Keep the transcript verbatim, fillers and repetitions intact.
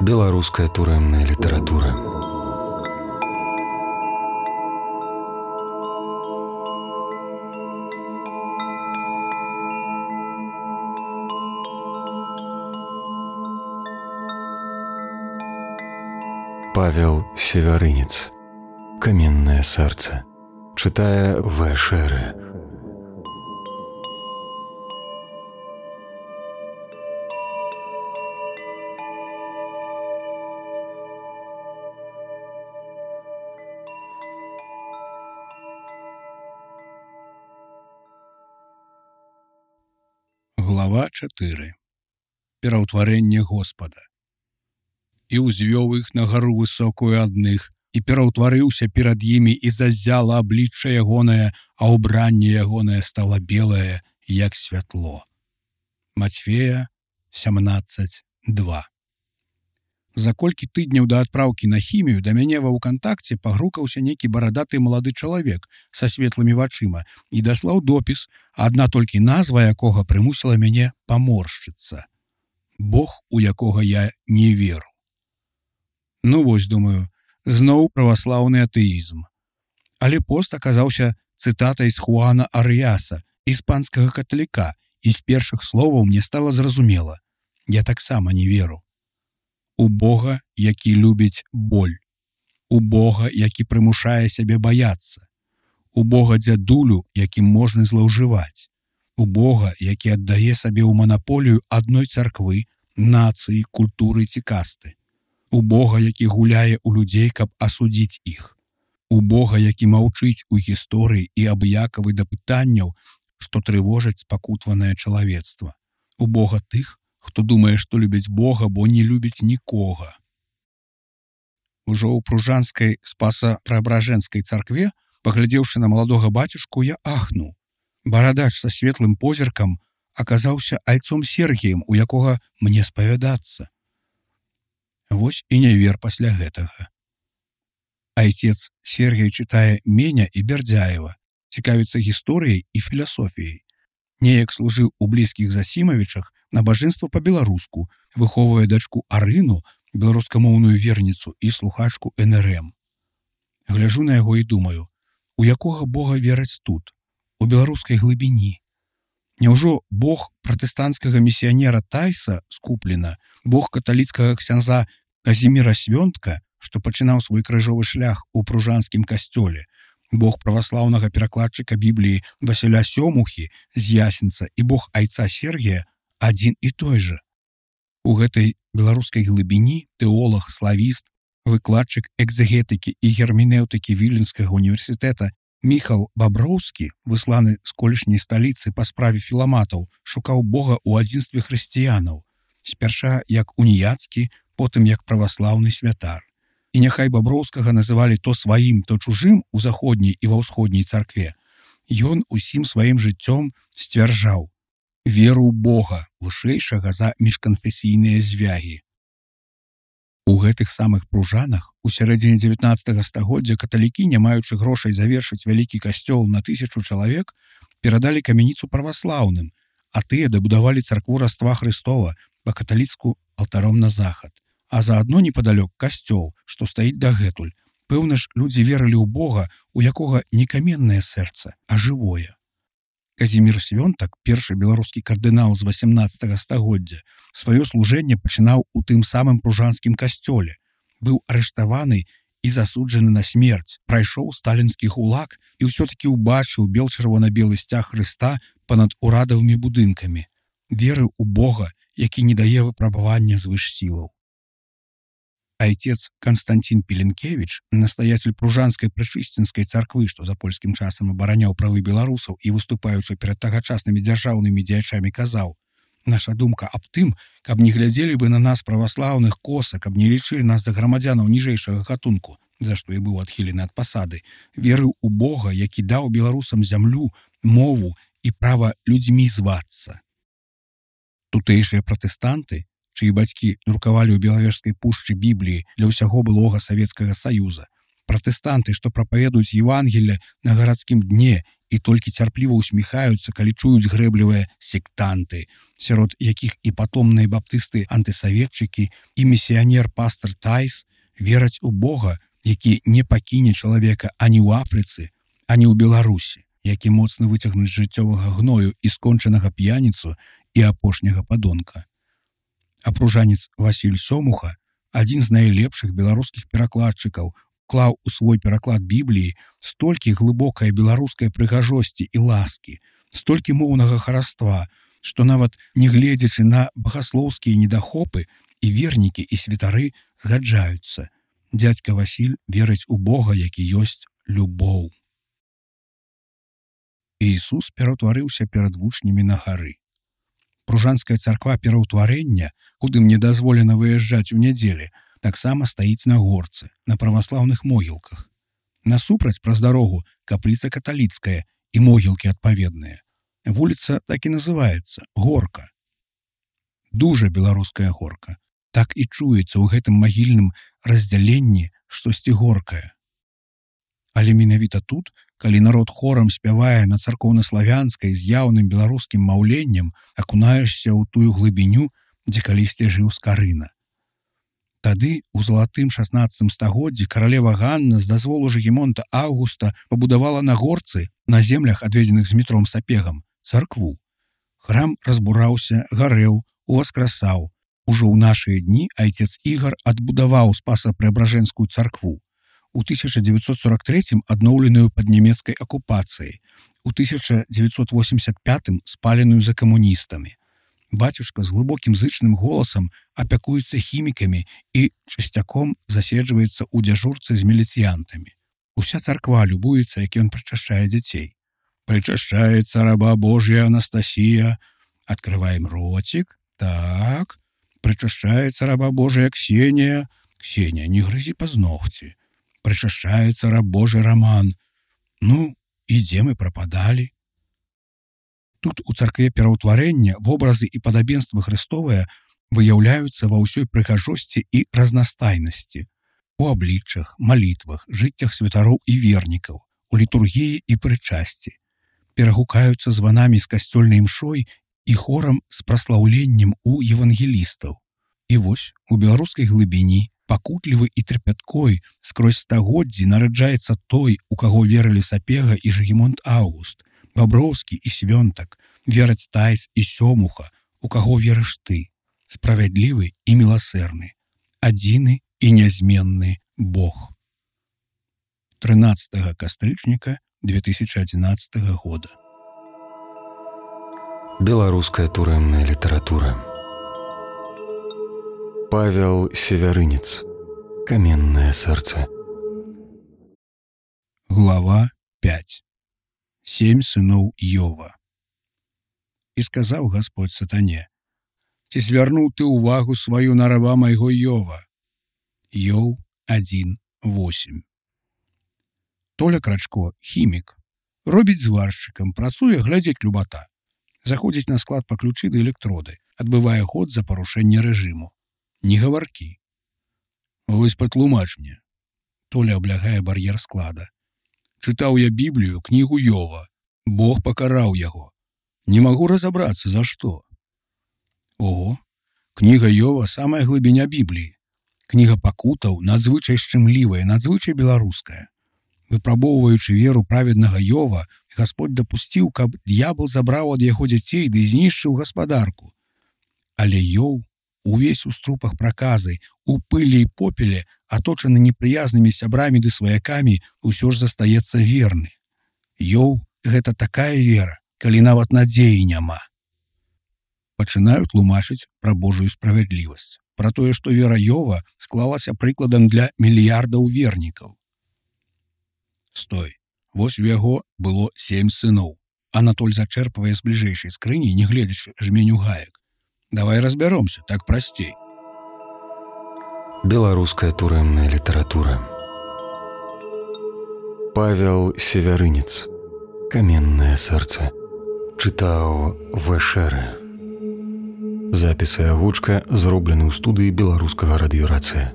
Беларуская турэмная літаратура. Павел Севярынец. Каменное сердце. Читая В. Шеры. Глава чатыры. Пераўтварэнне Господа. І ўзвёў іх на гару высокую адных, і пераўтварыўся перад імі, і заззяла аблічча ягонае, а ўбранне ягонае стала белае, як святло. Мацфея сямнаццаць два. За колькі тыдняў да адпраўкі на хімію да мяне ва ўкантакце пагрукаўся нейкі барадаты малады чалавек са светлымі вачыма і даслаў допіс, адна толькі назва якога прымусіла мяне паморшчыцца. Бог, у якога я не веру. Ну вось, думаю, зноў праваслаўны атэізм. Але пост аказаўся цытатай з Хуана Арыяса, іспанскага каталіка, і з першых словаў мне стала зразумела. Я таксама не веру. У Бога, які любіць боль. У Бога, які прымушае сябе баяцца. У Бога дзядулю, якім можна злоўжываць. У Бога, які аддае сабе ў манаполію адной царквы, нацыі, культуры ці касты. У Бога, які гуляе ў людзей, каб асудзіць іх. У Бога, які маўчыць у гісторыі і абыякавы да пытанняў, што трывожаць спакутванае чалавецтва. У Бога тых, хто думае, што любіць Бога, бо не любіць нікога. Ужо ў пружанскай спаса-праабражэнскай царкве, паглядзеўшы на маладога бацюшку, я ахнуў. Барадач са светлым позіркам аказаўся айцом Сергіем, у якога мне спавядацца. Вось і не вер пасля гэтага. Айцец Сергій чытае Меня і Бердзяева, цікавіцца гісторыяй і філасофіяй. Неяк служыў у блізкіх Засімавічах набажэнства па-беларуску, выхоўвае дачку Арыну, беларускамоўную верніцу і слухачку эн эр эм. Гляджу на яго і думаю, у якога Бога вераць тут, у беларускай глыбіні. Няўжо Бог пратэстанцкага місіянера Тайса скуплена, Бог каталіцкага ксяндза Казіміра Свёнтка, што пачынаў свой крыжовы шлях у пружанскім касцёле, Бог праваслаўнага перакладчыка Бібліі Васіля Сёмухі з Ясенца і Бог айца Сергія адзін і той жа. У гэтай беларускай глыбіні тэолог, славіст, выкладчык экзегетыкі і герменеўтыкі Віленскага універсітэта Міхал Баброўскі, высланы з колішняй сталіцы па справе філаматаў, шукаў Бога ў адзінстве хрысціянаў, спярша як уніяцкі, потым як праваслаўны святар. І няхай Баброўскага называлі то сваім, то чужым у заходняй і ва ўсходняй царкве, ён усім сваім жыццём сцвярджаў веру ў Бога, вышэйшага за міжканфесійныя звягі. У гэтых самых пружанах у сярэдзіне дзевятнаццатага стагоддзя каталікі, не маючы грошай завершыць вялікі касцёл на тысячу чалавек, перадалі камяніцу праваслаўным, а тыя дабудавалі царкву Раства Хрыстова па-каталіцку алтаром на захад. А заадно непадалёк касцёл, што стаіць дагэтуль. Пэўна ж, людзі верылі ў Бога, у якога не каменнае сэрца, а жывое. Казімір Свёнтак, першы беларускі кардынал з васямнаццатага стагоддзя, сваё служэнне пачынаў у тым самым пружанскім касцёле. Быў арыштаваны і засуджаны на смерць, прайшоў сталінскі гулаг і ўсё-такі ўбачыў бел-чырвона-белы сцяг Хрыста панад урадавымі будынкамі. Верыў у Бога, які не дае выпрабавання звыш сілаў. Айцец Канстантін Пеленкевіч, настаяцель пружанскай прычысцінскай царквы, што за польскім часам абараняў правы беларусаў і выступаючы перад тагачаснымі дзяржаўнымі дзеячамі, казаў: «Наша думка аб тым, каб не глядзелі бы на нас праваслаўных коса, каб не лічылі нас за грамадзянаў ніжэйшага гатунку, за што і быў адхілены ад пасады, верыў у Бога, які даў беларусам зямлю, мову і права людзьмі звацца». Тутэйшыя пратэстанты, чыі бацькі друкавалі ў Белавежскай пушчы Бібліі для ўсяго былога Савецкага Саюза, Пратэстанты, што прапаведуюць Евангелле на гарадскім дне і толькі цярпліва усміхаюцца, калі чуюць грэблівыя сектанты, сярод якіх і патомныя баптысты-антысаветчыкі, і місіянер-пастар Тайс вераць у Бога, які не пакіне чалавека ані ў Афрыцы, ані ў Беларусі, які моцна выцягнуць жыццёвага гною і скончанага п'яніцу і апошняга падонка. А пружанец Васіль Сёмуха, адзін з найлепшых беларускіх перакладчыкаў, клаў у свой пераклад Бібліі столькі глыбокай беларускай прыгажосці і ласкі, столькі моўнага хараства, што нават не гледзячы на багаслоўскія недахопы, і вернікі, і святары згаджаюцца. Дзядзька Васіль верыць у Бога, які ёсць любоў. Ісус пераўтварыўся перад вучнямі на гары. Пружанская царква пераўтварэння, куды мне дазволена выязджаць у нядзелі, таксама стаіць на горцы, на праваслаўных могілках. Насупраць праз дарогу капліца каталіцкая і могілкі адпаведныя. Вуліца так і называецца Горка. Дужа беларуская горка. Так і чуецца ў гэтым магільным раздзяленні штосьці горкае. Але менавіта тут, калі народ хорам спявае на царкоўна-славянскай з яўным беларускім маўленнем, акунаешся ў тую глыбіню, дзе калісьці жыў Скарына. Тады, у залатым шаснаццатым стагоддзі, каралева Ганна з дазволу Жыгімонта Аўгуста пабудавала на горцы, на землях, адведзеных з Змітром Сапегам, царкву. Храм разбураўся, гарэў, уваскрасаў. Ужо ў нашыя дні айцец Ігар адбудаваў Спаса-Преабражэнскую царкву. У тысяча дзевяцьсот сорок трэцім адноўленую пад нямецкай акупацыяй, у тысяча дзевяцьсот восемьдесят пятым спаленую за камуністамі. Бацюшка з глыбокім зычным голасам апякуецца хімікамі і часцяком заседжваецца ў дзяжурцы з міліцыянтамі. Уся царква любуецца, як ён прычашчае дзяцей. Прычашчаецца раба Божья Анастасія. Открываем ротик. Так. Прычашчаецца раба Божья Ксенія. Ксенія, не грызі пазногці. Прычашчаецца раб Божий Роман. Ну, і дзе мы прападалі? Тут у царкве пераўтварэння вобразы і падабенствы Христовыя выяўляюцца ва ўсёй прыгажосці і разнастайнасці. У абліччах, малітвах, жыццях святароў і вернікаў, у літургіі і прычасці. Перагукаюцца званамі з касцёльнай імшой і хорам з праслаўленнем у евангелістаў. І вось у беларускай глыбіні, пакутлівы і трапяткой, скрозь стагоддзі нараджаецца той, у каго верылі Сапега і Жыгімонт Аўгуст, Баброўскі і Свёнтак, вераць Тайс і Сёмуха, у каго верыш ты, справядлівы і міласэрны, адзіны і нязменны Бог. трынаццатага кастрычніка две тысячи одиннадцатого года. Беларуская турэмная літаратура. Павел Севярынец. Каменное сердце. Глава пять. Семь сыноў Йова. І сказаў Господь сатане: ці звярнуў ты ўвагу сваю на раба майго Йова? Йов один восемь. Толя Крачко, хімік, робіць зваршчыкам, працуе, глядзець любата. Заходзіць на склад па ключы да электроды, адбывае год за парушэнне рэжыму. Не гаваркі. Вось патлумач мне. Толя аблягае бар'ер склада. Чытаў я Біблію, кнігу Йова. Бог пакараў яго. Не магу разабрацца, за што. Ого, кніга Йова самая глыбіня Бібліі. Кніга пакутаў надзвычай шчымлівая, надзвычай беларуская. Выпрабоўваючы веру праведнага Йова, Господь дапусціў, каб д'ябал забраў ад яго дзяцей ды знішчыў гаспадарку. Але Йов, увесь у струпах праказы, у пылі і попеле, аточаны непрыязнымі сябрамі ды сваякамі, усё ж застаецца верны. Йов — гэта такая вера, калі нават надзеі няма. Пачынаю тлумачыць пра Божую справядлівасць, пра тое, што вера Йова склалася прыкладам для мільярдаў вернікаў. Стой, вось у яго было сем сыноў. Анатоль зачэрпвае з бліжэйшай скрыні, не гледзячы жменю гаек. Давай разбяромся, так прасцей. Беларуская турэмная літаратура. Павел Севярынец. Каменное сердце. Чытаў Вэшэрэ. Запіс і агучка зроблены ў студыі беларускага радыёрацыя.